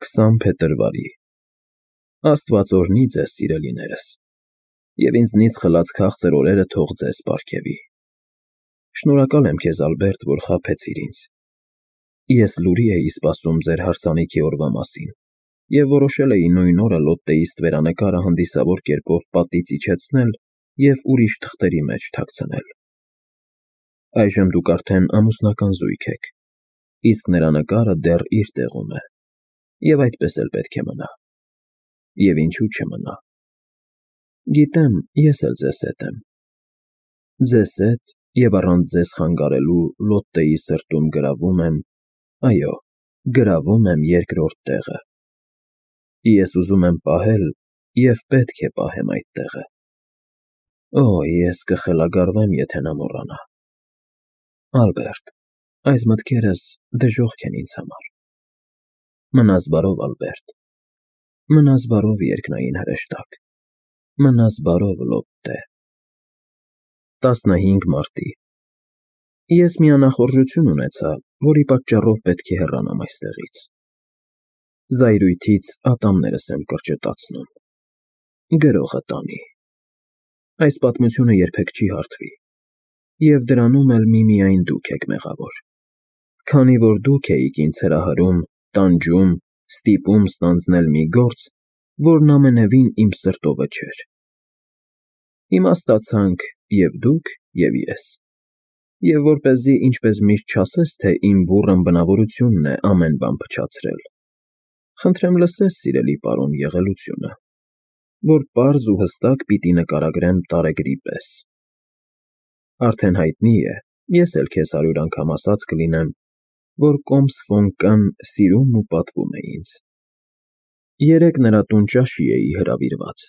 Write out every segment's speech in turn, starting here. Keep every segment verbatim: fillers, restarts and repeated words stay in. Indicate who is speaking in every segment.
Speaker 1: քսան փետրվարի Աստված օրհնի ձեզ, սիրելիներս, և ինձնից խլած քաղցր օրերը թող ձեզ պարգևի։ Շնորհակալ եմ քեզ, Ալբերտ, որ խաբեցիր ինձ։ Ես լուրի էի սպասում ձեր հարսանիքի օրվա մասին և որոշել էի նույն օրը Լոտտեի ստվերանկարը հանդիսավոր կերպով պատից իջեցնել և ուրիշ թղթերի մեջ թաքցնել։ Այժմ դուք արդեն ամուսնական զույգ եք, իսկ նրա նկարը դեռ իր տեղում է, և այդպես էլ պետք է մնա։ Եվ ինչու չմնա։ Գիտեմ, ես էլ ձեզ հետ եմ։ Ձեզ հետ և առանց ձեզ խանգարելու Լոտտեի սրտում գրավում եմ, այո, գրավում եմ երկրորդ տեղը։ Ես ուզում եմ պահել և պետք է պահեմ այդ տեղը։ Օ, ես կխելագարվեմ, եթե նա մոռանա։ Ալբերտ, այս մտքերս դժոխք են ինձ համար։ Մնաս բարով, Ալբերտ, մնաս բարով, երկնային հրեշտակ, մնաս բարով, Լոտտե։ տասնհինգ մարտի Ես մի անախորժություն ունեցա, որի պատճառով պետք է հեռանամ այստեղից։ Զայրույթից ատամներս եմ կրճտացնում։ Գրողը տանի։ Այս պատմությունը երբեք չի հարթվի, և դրանում էլ միմիայն դուք եք մեղավոր, քանի որ դուք էիք ինձ հրահրում, տանջում, ստիպում ստանձնել մի գործ, որն ամենևին իմ սրտովը չէր։ Հիմա ստացանք և դուք, և ես, և որպեսզի ինչպես միշտ չասես, թե իմ բուռն բնավորությունն է ամեն բան փչացրել, խնդրեմ լսես, սիրելի պարոն, եղելությունը, որ պարզ ու հստակ պիտի նկարագրեմ տարեգրի պես։ Արդեն հայտնի է, ես էլ քեզ հարյուր անգամ ասած կլինեմ, որ կոմս ֆոն Կ֊ն սիրում ու պատվում է ինձ։ Երեկ նրա տուն ճաշի էի հրավիրված,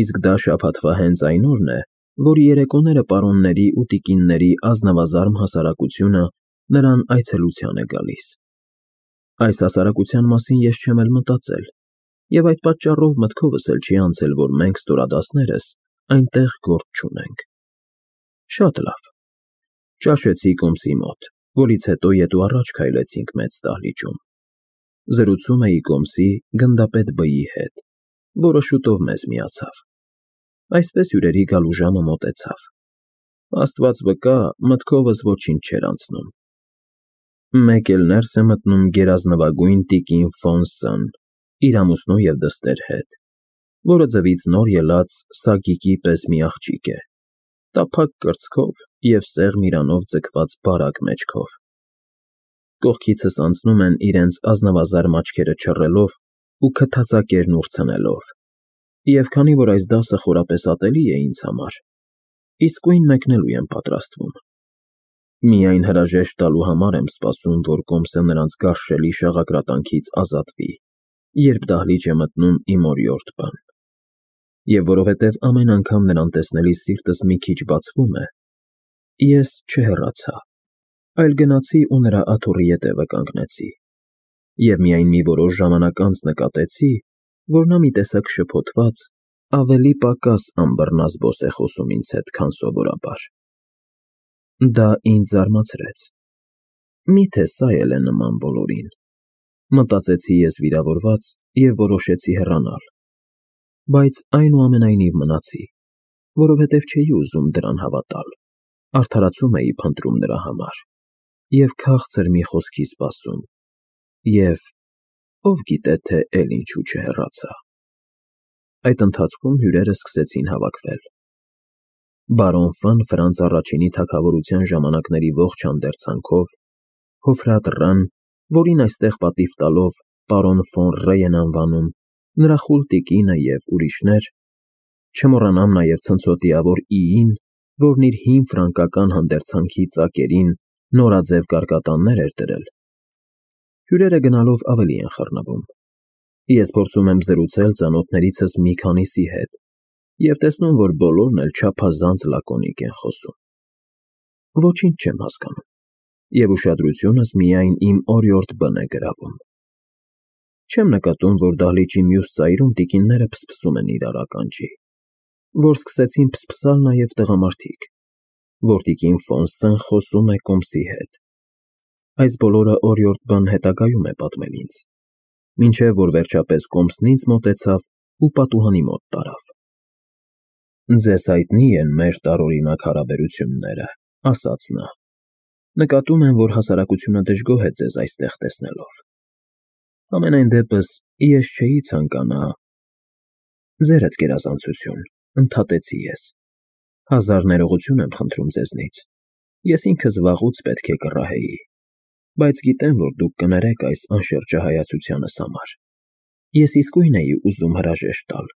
Speaker 1: իսկ դա շաբաթվա հենց այն օրն է, որ երեկոները պարոնների ու տիկինների ազնվազարմ հասարակությունը նրան այցելության է գալիս։ Այս հասարակության մասին ես չեմ էլ մտածել, և այդ պատճառով մտքովս էլ չի անցել, որ մենք ստորադասներս այնտեղ գործ չունենք։ Շատ լավ։ Ճաշեցի կոմսի մոտ, որից հետո ետ ու առաջ քայլեցինք մեծ դահլիճում։ Զրուցում էի կոմսի գնդապետ Բ֊ի հետ, որը շուտով մեզ միացավ։ Այսպես հյուրերի գալու ժամը մոտեցավ։ Աստված վկա, մտքովս ոչինչ չէր անցնում։ Մեկ էլ ներս է մտնում գերազնվագույն տիկին ֆոն Ս֊ն իր ամուսնու և դստեր հետ, որը ձվից նոր ելած սագիկի պես մի աղջիկ է, տափակ կրծքով և սեղմ իրանով ձգված բարակ մեջքով։ Կողքիցս անցնում են իրենց ազնվազարմ աչքերը չռելով ու քթածակերն ուրցնելով, և քանի որ այս դասը խորապես ատելի է ինձ համար, իսկույն մեկնելու եմ պատրաստվում։ Միայն հրաժեշտ տալու համար եմ սպասում, որ կոմսը նրանց գարշելի շաղակրատանքից ազատվի, երբ դահլիճ է մտնում իմ օրիորդ Բ֊ն։ Եվ որովհետև ամեն անգամ նրան տեսնելիս սիրտս մի քիչ բացվում է, ես չհեռացա, այլ գնացի ու նրա աթոռի ետևը կանգնեցի, և միայն մի որոշ ժամանակ անց նկատեցի, որ նա մի տեսակ շփոթված, ավելի պակաս անբռնազբոս է խոսում ինձ հետ, քան սովորաբար։ Դա ինձ զարմացրեց։ Մի՞թե սա էլ է նման բոլորին, մտածեցի ես վիրավորված և որոշեցի հեռանալ, բայց այնուամենայնիվ մնացի, որովհետև չէի ուզում դրան հավատալ, արդարացում էի փնտրում նրա համար և քաղցր մի խոսքի սպասում, և ով գիտե, թե էլ ինչու չհեռացա։ Այդ ընթացքում հյուրերն սկսեցին հավաքվել։ Բարոն Ֆ֊ն Ֆրանց առաջինի թագավորության ժամանակների ողջ հանդերձանքով, Հոֆրատ Ռ֊ն, որին այստեղ պատիվ տալով պարոն ֆոն Ռ են անվանում, նրա խուլ տիկինը և ուրիշներ, չմոռանամ նաև ցնցոտիավոր Ի֊ին, որն իր հին ֆրանկական հանդերձանքի ծակերին նորաձև կարկատաններ էր դրել։ Հյուրերը գնալով ավելի են խռնվում։ Ես փորձում եմ զրուցել ծանոթներիցս մի քանիսի հետ և տեսնում, որ բոլորն էլ չափազանց լակոնիկ են խոսում։ Ոչինչ չեմ հասկանում, և ուշադրությունս միայն իմ օրիորդ Բ-ն է գրավում։ Չեմ նկատում, որ դահլիճի մյուս ծայրում տիկինները փսփսում են իրար ականջի, որ սկսեցին փսփսալ նաև տղամարդիկ, որ տիկին ֆոն Ս֊ն խոսում է կոմսի հետ։ Այս բոլորը օրիորդ Բ֊ն հետագայում է պատմել ինձ, մինչև որ վերջապես կոմսնից մոտեցավ ու պատուհանի մոտ տարավ։ Ձեզ հայտնի են մեր տարօրինակ հարաբերությունները, ասաց նա։ Նկատում եմ, որ հասարակությունը դժգոհ է ձեզ այստեղ տեսնելով։ Համենայն դեպս ես չէի ցանկանա… Ձերդ գերազանցություն, ընդհատեցի ես։ Հազար ներողություն եմ խնդրում ձեզնից։ Ես ինքս վաղուց պետք է կռահեի, բայց գիտեմ, որ դուք կներեք այս անշրջահայացությանս համար։ Ես իսկույն էի ուզում հրաժեշտ տալ,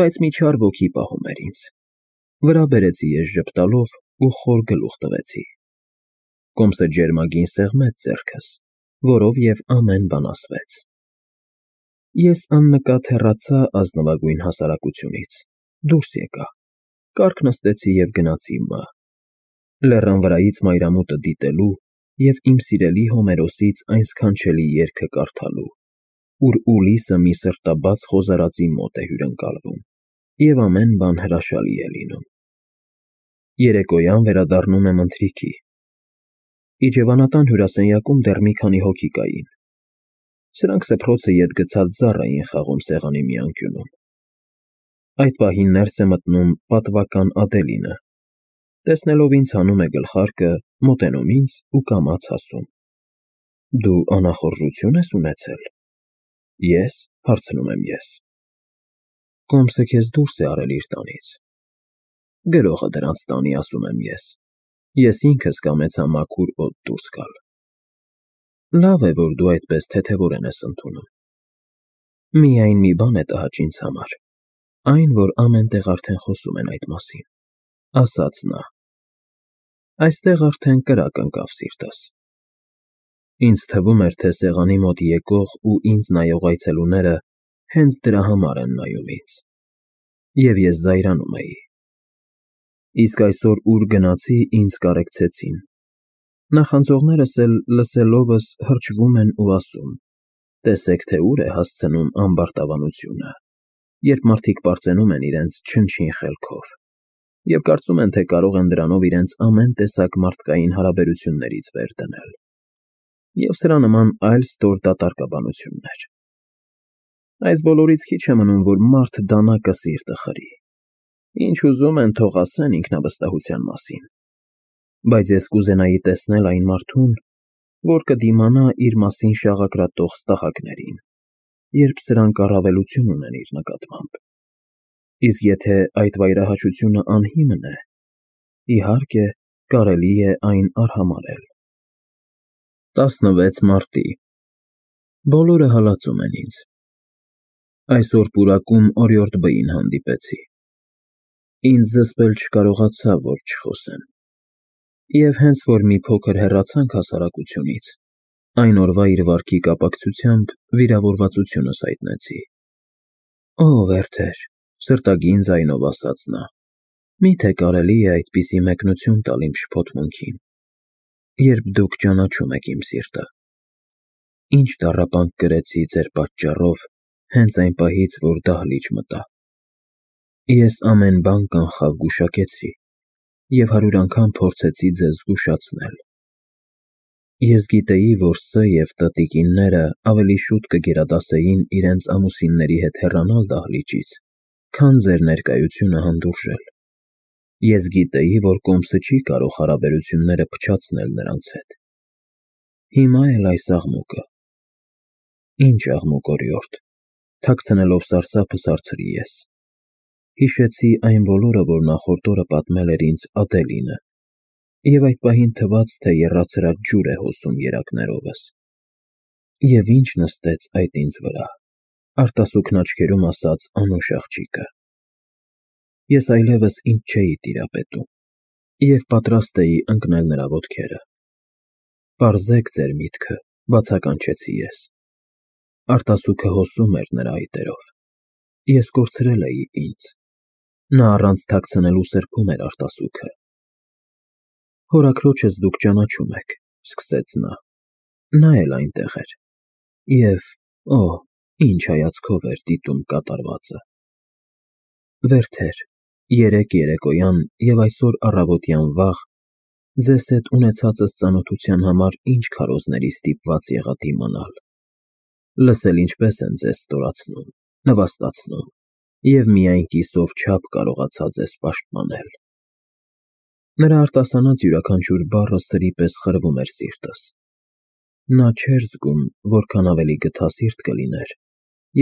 Speaker 1: բայց մի չար ոգի պահում էր ինձ։ Վրա բերեցի ես ժպտալով ու խոր գլուխ տվեցի։ Կոմսը ջերմագին սեղմեց ձեռքս, որով և ամեն բան ասվեց։ Ես աննկատ հեռացա ազնվագույն հասարակությունից, դուրս եկա, կառք նստեցի և գնացի Մ. Լեռան վրայից մայրամուտը դիտելու և իմ սիրելի Հոմերոսից այն սքանչելի երգը կարդալու, ուր Ուլիսը մի սրտաբաց խոզարածի մոտ է հյուրընկալվում, և ամեն բան հրաշալի է լինում։ Երեկոյան վերադառնում եմ ընթրիքի։ Իջևանական հյուրասենյակում դեռ մի քանի հոգի կային։ Սրանք սփռոցը ետ գցած զառ էին խաղում սեղանի մի անկյունում։ Այդ պահին ներս է մտնում պատվական Ադելինը։ Տեսնելով ինձ հանում է գլխարկը, մոտենում ինձ ու կամաց ասում. Դու անախորժություն ես ունեցել։ Ես, հարցնում եմ ես։ Կոմսը քեզ դուրս է արել իր տանից։ Գրողը դրանց տանի, ասում եմ ես։ Ես ինքս կամեցա մաքուր օդ դուրս գալ։ Լավ է, որ դու այդպես թեթևորեն ես ընդունում։ Միայն մի բան է տհաճ ինձ համար, այն, որ ամեն տեղ արդեն խոսում են այդ մասին, ասաց նա։ Այստեղ արդեն կրակ ընկավ սիրտս։ Ինձ թվում էր, թե սեղանի մոտ եկող ու ինձ նայող այցելուները հենց դրա համար են նայում ինձ։ Եվ ես զայրանում էի։ Իսկ այսօր ուր գնացի, ինձ կարեկցեցին։ Նախանձողներս էլ լսելովս հրճվում են ու ասում. տեսեք, թե ուր է հասցնում ամբարտավանությունը, երբ մարդիկ պարծենում են իրենց չնչին խելքով, և կարծում են, թե կարող են դրանով իրենց ամեն տեսակ մարդկային հարաբերություններից վեր դնել, և սրա նման այլ ստոր դատարկաբանություններ։ Այս բոլորից քիչ է մնում, որ մարդ դանակը սիրտը խրի։ Ինչ ուզում են, թող ասեն ինքնավստահության մասին։ Բայց ես կուզենայի տեսնել այն մարդուն, որ կդիմանա իր մասին շաղակրատող ստախակներին, երբ սրանք առավելություն ունեն իր նկատմամբ։ Իսկ եթե այդ վայրահաճությունը անհիմն է, իհարկե, կարելի է այն արհամարհել։ տասնվեց մարտի Բոլորը հալածում են ինձ։ Այսօր պուրակում օրիորդ Բ-ին հանդիպեցի։ Ինձ զսպել չկարողացավ, որ չխոսեմ։ Եվ հենց որ մի փոքր հեռացանք հասարակությունից, այն օրվա իր վարքի կապակցությամբ վիրավորվածությունս հայտնեցի։ Օ, Վերթեր, սրտագին ձայնով ասաց նա, միթե կարելի է այդպիսի մեկնություն տալ իմ շփոթմունքին, երբ դուք ճանաչում եք իմ սիրտը։ Ինչ տառապանք կրեցի ձեր պատճառով հենց այն պահից, որ դահլիճ մտա։ Ես ամեն բան կանխավ գուշակեցի և հարյուր անգամ փորձեցի ձեզ զգուշացնել։ Ես գիտեի, որ Ս և Տ տիկինները ավելի շուտ կգերադասեին իրենց ամուսինների հետ հեռանալ դահլիճից, քան ձեր ներկայությունը հանդուրժել։ Ես գիտեի, որ Կոմսը չի կարող հարաբերությունները փչացնել նրանց հետ։ Հիմա էլ այս աղմուկը… Ինչ աղմուկ, օրիորդ, թաքցնելով սարսափս հարցրի ես։ Հիշեցի այն բոլորը, որ նախորդ օրը պատմել էր ինձ Ադելինը, և այդ պահին թվաց, թե եռացրած ջուր է հոսում երակներովս։ Եվ ինչ նստեց այդ ինձ վրա, արտասուքն աչքերում ասաց անուշ աղջիկը։ Ես այլևս ինձ չէի տիրապետում և պատրաստ էի ընկնել նրա ոտքերը։ Պարզեք ձեր միտքը, բացականչեցի ես։ Արտասուքը հոսում էր նրա այտերով։ Ես կորցրել էի ինձ։ Նա առանց թաքցնելու սրբում էր արտասուքը։ Հորաքրոջս դուք ճանաչում եք, սկսեց նա։ Նա էլ այնտեղ էր։ Եվ, օ, ինչ հայացքով էր դիտում կատարվածը։ Վերթեր, երեկ երեկոյան և այսօր առավոտյան վաղ ձեզ հետ ունեցածս ծանոթության համար ինչ քարոզների ստիպված եղա դիմանալ։ Լսել ինչպես են ձեզ ստորացնում, նվաստացնում, և միայն կիսով չափ կարողացա ձեզ պաշտպանել։ Նրա արտասանած յուրաքանչյուր բառը սրի պես խրվում էր սիրտս։ Նա չէր զգում, որքան ավելի գթասիրտ կլիներ,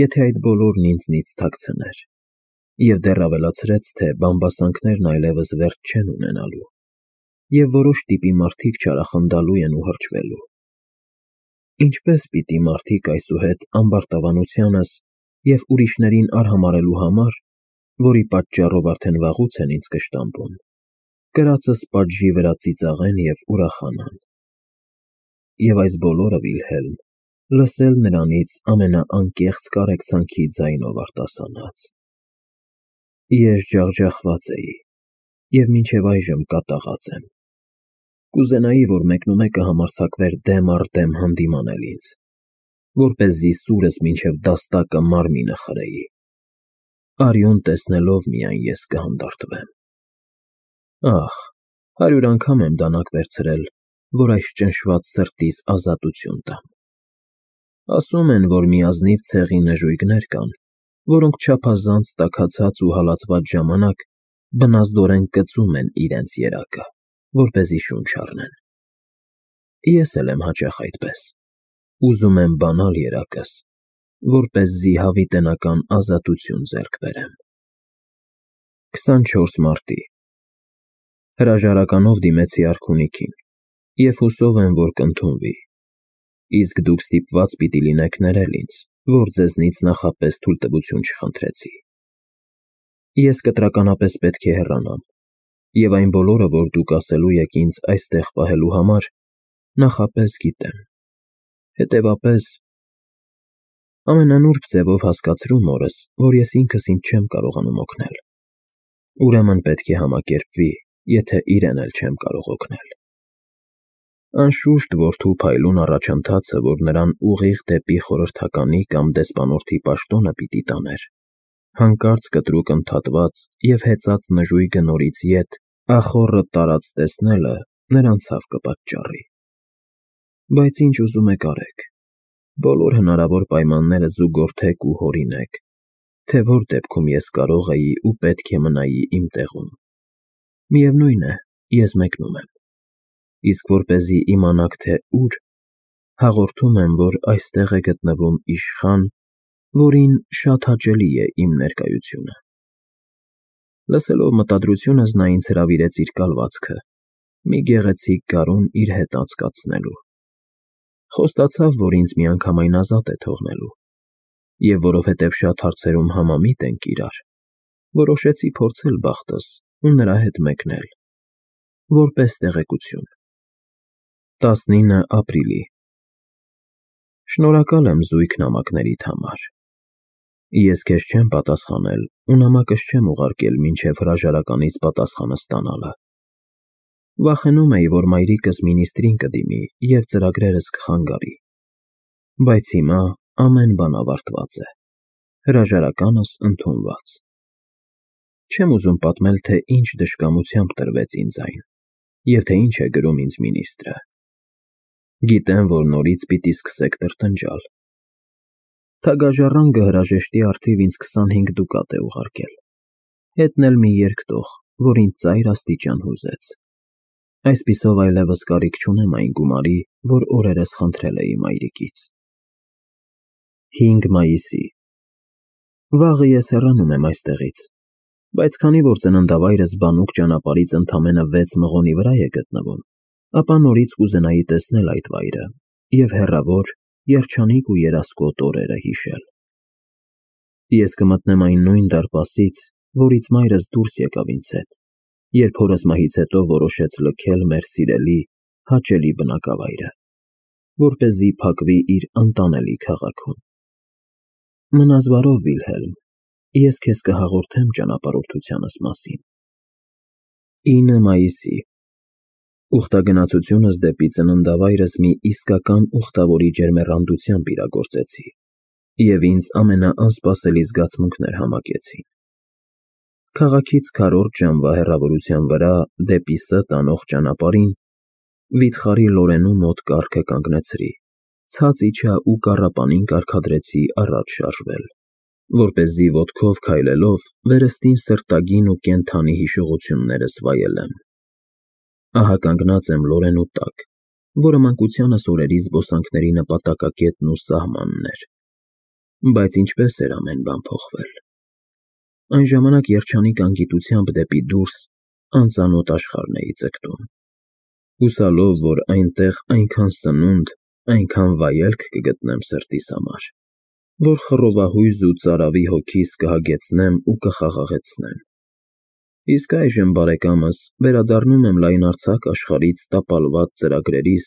Speaker 1: եթե այդ բոլորն ինձնից թաքցներ, և դեռ ավելացրեց, թե բամբասանքներն այլևս վերջ չեն ունենալու, և որոշ տիպի մարդիկ չարախնդալու են ու հրճվելու։ Ինչպե՞ս պիտի մարդիկ այսուհետ ամբարտավանությանս և ուրիշներին արհամարհելու համար, որի պատճառով արդեն վաղուց են ինձ կշտամբում, կրածս պատժի վրա ծիծաղեն և ուրախանան։ Եվ այս բոլորը, Վիլհելմ, լսել նրանից ամենաանկեղծ կարեկցանքի ձայնով արտասանած։ Ես ջախջախված էի և մինչև այժմ կատաղած եմ։ Կուզենայի, որ մեկնումեկը համարձակվեր դեմ առ դեմ հանդիմանել ինձ, որպեսզի սուրս մինչև դաստակը մարմինը խրեի։ Արյուն տեսնելով միայն ես կհանդարտվեմ։ Ախ, հարյուր անգամ եմ դանակ վերցրել, որ այս ճնշված սրտիս ազատություն տամ։ Ասում են, որ մի ազնիվ ցեղի նժույգներ կան, որոնք չափազանց տաքացած ու հալածված ժամանակ բնազդորեն կծում են իրենց երակը, որպեսզի շունչ առնեն։ Ես էլ եմ հաճախ այդպես, ուզում եմ բանալ երակս, որպեսզի հավիտենական ազատություն ձեռք բերեմ։ քսանչորս մարտի Հրաժարականով դիմեցի արքունիքին և հուսով եմ, որ կընդունվի, իսկ դուք ստիպված պիտի լինեք ներել ինձ, որ ձեզնից նախապես թույլտվություն չխնդրեցի։ Ես կտրականապես պետք է հեռանամ, և այն բոլորը, որ դուք ասելու եք ինձ այստեղ պահելու համար, նախապես գիտեմ։ Հետևաբար, ամենանուրբ ձևով հասկացրու մորս, որ ես ինքս ինձ չեմ կարողանում օգնել։ Ուրեմն պետք է համակերպվի, եթե իրեն էլ չեմ կարող օգնել։ Անշուշտ, որդու փայլուն առաջընթացը, որ նրան ուղիղ դեպի խորհրդականի կամ դեսպանորդի պաշտոնը պիտի տաներ, հանկարծ կտրուկ ընդհատված և հեծած նժույգը նորից ետ, ախոռը տարած տեսնելը նրան ցավ կպատճառի։ Բայց ինչ ուզում եք արեք, բոլոր հնարավոր պայմանները զուգորդեք ու հորինեք, թե որ դեպքում ես կարող էի ու պետք է մնայի իմ տեղում։ Միևնույն է, ես մեկնում եմ, իսկ որպեսզի իմանաք, թե ուր, հաղորդում եմ, որ այստեղ է գտնվում իշխան, որին շատ հաճելի է իմ ներկայությունը։ Լսելով մտադրությունս, նա ինձ հրավիրեց իր կալվածքը, մի գեղեցիկ գարուն իր հետ անցկացնելու։ Խոստացավ, որ ինձ միանգամայն ազատ է թողնելու, և որովհետև շատ հարցերում համամիտ ենք իրար, որոշեցի փորձել բախտս ու նրա հետ մեկնել, որպես տեղեկություն։ տասնինը ապրիլի Շնորհակալ եմ զույգ նամակներիդ համար։ Ես քեզ չեմ պատասխանել ու նամակս չեմ ուղարկել մինչև հրաժարականից պատասխանը ստանալը։ Վախենում էի, որ մայրիկս մինիստրին կդիմի և ծրագրերս կխանգարի։ Բայց հիմա ամեն բան ավարտված է, հրաժարականս ընդունված։ Չեմ ուզում պատմել, թե ինչ դժկամությամբ տրվեց ինձ այն, և թե ինչ է գրում ինձ մինիստրը։ Գիտեմ, որ նորից պիտի սկսեք տրտնջալ։ Թագաժառանգը հրաժեշտի առթիվ ինձ քսանհինգ դուկատ է ուղարկել, հետն էլ մի երկտող, որ ինձ ծայր աստիճան հուզեց։ Այսպիսով այլևս կարիք չունեմ այն գումարի, որ օրերս խնդրել էի մայրիկից։ հինգ մայիսի Վաղը ես հեռանում եմ այստեղից, բայց քանի որ ծննդավայրս բանուկ ճանապարհից ընդամենը վեց մղոնի վրա է գտնվում, ապա նորից կուզենայի տեսնել այդ վայրը և հեռավոր, երջանիկ ու երասկոտ օրերը հիշել։ Ես կմտնեմ այն նույն դարպասից, որից մայրս դուրս եկավ ինձ հետ, երբ հորս մահից հետո որոշեց լքել մեր սիրելի, հաճելի բնակավայրը, որպեսզի փակվի իր ընտանելի քաղաքում։ Մնաս բարով, Վիլհելմ, ես քեզ կհաղորդեմ ճանապարհորդությանս մասին։ ինը մայիսի Ուխտագնացությունս դեպի ծննդավայրս մի իսկական ուխտավորի ջերմեռանդությամբ իրագործեցի, և ինձ ամենաանսպասելի զգացմունքներ համակեցին։ Քաղաքից քառորդ ժամվա հեռավորության վրա դեպի Ս տանող ճանապարհին վիթխարի Լորենու մոտ կառքը կանգնեցրի ցած իջա ու կառապանին կարգադրեցի առաջ շարժվել, որպեսզի ոտքով քայլելով վերստին սրտագին ու կենդանի հիշողություններս վայելեմ։ Ահա կանգնած եմ Լորենու տակ, որը մանկությանս օրերի զբոսանքների նպատակակետն ու սահմանն էր։ Բայց ինչպես էր ամեն բան փոխվել։ Այն ժամանակ երջանիկ անգիտությամբ դեպի դուրս անծանոթ աշխարհն էի ձգտում, հուսալով, որ այնտեղ այնքան սնունդ, այնքան վայելք կգտնեմ սրտիս համար, որ խռովահույզ ու ծարավի հոգիս կհագեցնեմ ու կխաղաղեցնեմ։ Իսկ այժմ, բարեկամս, վերադառնում եմ լայնարձակ աշխարհից տապալված ծրագրերիս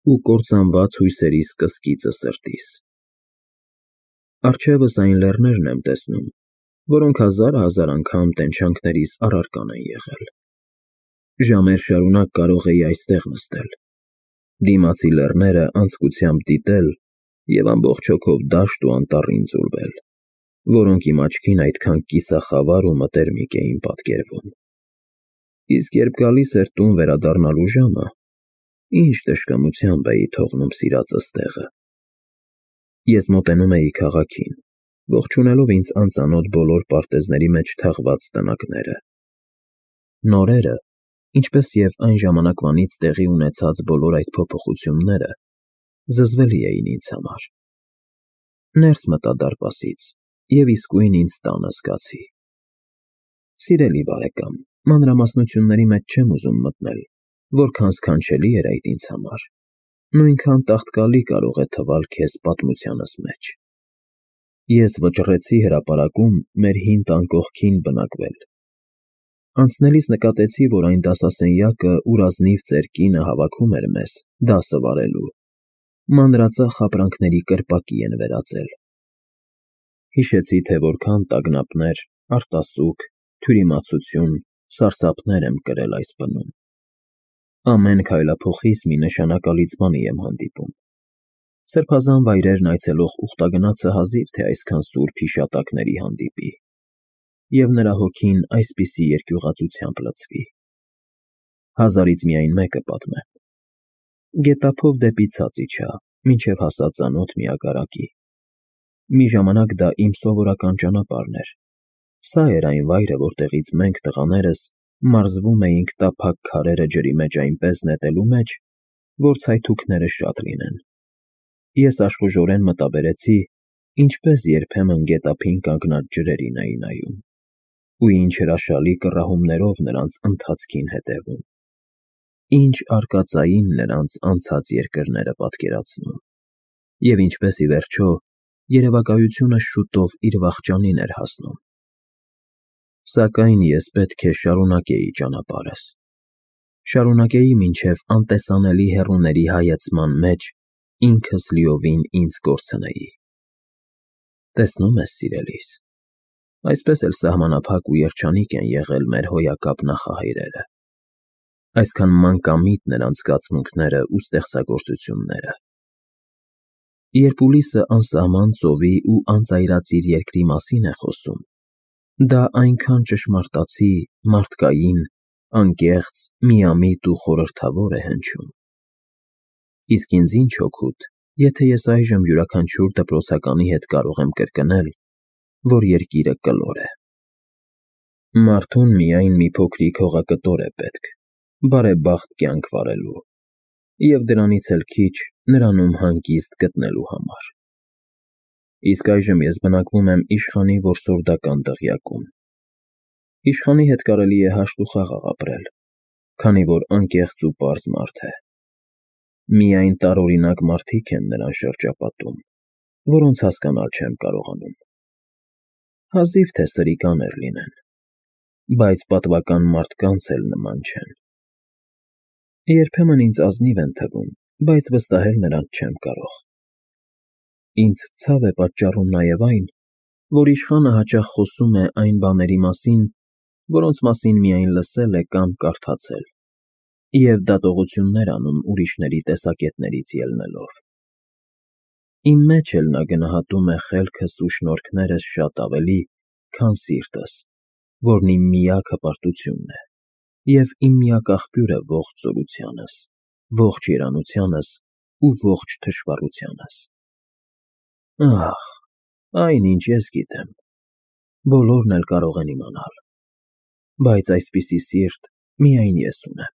Speaker 1: ու կործանված հույսերիս կսկիծը սրտիս։ Առջևս այն լեռներն եմ տեսնում, որոնք հազար֊հազար անգամ տենչանքներիս առարկան են եղել։ Ժամեր շարունակ կարող էի այստեղ նստել, դիմացի լեռները անձկությամբ դիտել և ամբողջ հոգով դաշտ ու անտառին ձուլվել, որոնք իմ աչքին այդքան կիսախավար ու մտերմիկ էին պատկերվում։ Իսկ երբ գալիս էր տուն վերադառնալու ժամը, ինչ տշգամությամբ էի թողնում սիրածս տեղը։ Ես մոտենում էի քաղաքին, ողջունելով ինձ անծանոթ բոլոր պարտեզների մեջ թաղված տնակները։ Նորերը, ինչպես և այն ժամանակվանից տեղի ունեցած բոլոր այդ փոփոխությունները, զզվելի էին ինձ համար։ Ներս մտա դարպասից և իսկույն ինձ տանը զգացի։ Սիրելի բարեկամ, մանրամասնությունների մեջ չեմ ուզում մտնել, որքան սքանչելի էր այդ ինձ համար, նույնքան տաղտկալի կարող է թվալ քեզ պատմությանս մեջ։ Ես վճռեցի հրապարակում մեր հին տան կողքին բնակվել։ Անցնելիս նկատեցի, որ այն դասասենյակը, ուր ազնիվ ծեր կինը հավաքում էր մեզ դասը վարելու, մանրածախ ապրանքների կրպակի են վերածել։ Հիշեցի, թե որքան տագնապներ, արտասուք, թյուրիմացություն, սարսափներ եմ կրել այս բնում։ Ամեն քայլափոխիս մի նշանակալից բանի եմ հանդիպում։ Սրբազան վայրերն այցելող ուխտագնացը հազիվ թե այսքան սուրբ հիշատակների հանդիպի, և նրա հոգին այսպիսի երկյուղածությամբ լցվի։ Հազարից միայն մեկը պատմեմ։ Գետափով դեպի ցած իջա, մինչև հասա ծանոթ միագարակի։ Մի ժամանակ դա իմ սովորական ճանապարհն էր։ Սա էր այն վայրը, որտեղից մենք, տղաներս, մարզվում էինք տափակ քարերը ջրի մեջ այնպես նետելու մեջ, որ ցայթուքները շատ լինեն։ Ես աշխուժորեն մտաբերեցի, ինչպես երբեմն գետափին կանգնած ջրերին էի նայում, ու ինչ հրաշալի կռահումներով նրանց ընթացքին հետևում, ինչ արկածային նրանց անցած երկրները պատկերացնում, և ինչպես, ի վերջո, երևակայությունը շուտով իր վախճանին էր հասնում։ Սակայն ես պետք է շարունակեի ճանապարհս, շարունակեի մինչև անտեսանելի հեռուների հայեցման մեջ ինքս լիովին ինձ կորցնեի։ Տեսնո՞ւմ ես, սիրելիս, այսպես էլ սահմանափակ ու երջանիկ են եղել մեր հոյակապ նախահայրերը, այսքան մանկամիտ նրանց զգացմունքները ու ստեղծագործությունները։ Երբ Ուլիսը անսահման ծովի ու անծայրածիր երկրի մասին է խոսում, դա այնքան ճշմարտացի, մարդկային, անկեղծ, միամիտ ու խորհրդավոր է հնչում։ Իսկ ինձ ինչ օգուտ, եթե ես այժմ յուրաքանչյուր դպրոցականի հետ կարող եմ կրկնել, որ երկիրը կլոր է։ Մարդուն միայն մի փոքրիկ հողակտոր է պետք, բարեբախտ կյանք վարելու, և դրանից էլ քիչ նրանում հանգիստ գտնելու համար։ Իսկ այժմ ես բնակվում եմ իշխանի որսորդական դղյակում։ Իշխանի հետ կարելի է հաշտ ու խաղաղ ապրել, քանի որ անկեղծ ու պարզ մարդ է։ Միայն տարօրինակ մարդիկ են նրան շրջապատում, որոնց հասկանալ չեմ կարողանում։ Հազիվ թե սրիկաներ լինեն, բայց պատվական մարդկանց էլ նման չեն։ Երբեմն ինձ ազնիվ են թվում, բայց վստահել նրանց չեմ կարող։ Ինձ ցավ է պատճառում նաև այն, որ իշխանը հաճախ խոսում է այն բաների մասին, որոնց մասին միայն լսել է կամ կարդացել, և դատողություններ անում ուրիշների տեսակետներից ելնելով։ Իմ մեջ էլ նա գնահատում է խելքս ու շնորհքներս շատ ավելի, քան սիրտս, որն իմ միակ հպարտությունն է, և իմ միակ աղբյուրը ողջ զորությանս, ողջ երանությանս ու ողջ թշվառությանս։ Ախ, այնինչ ես գիտեմ, բոլորն էլ կարող են իմանալ, բայց այսպիսի սիրտ միայն ես ունեմ։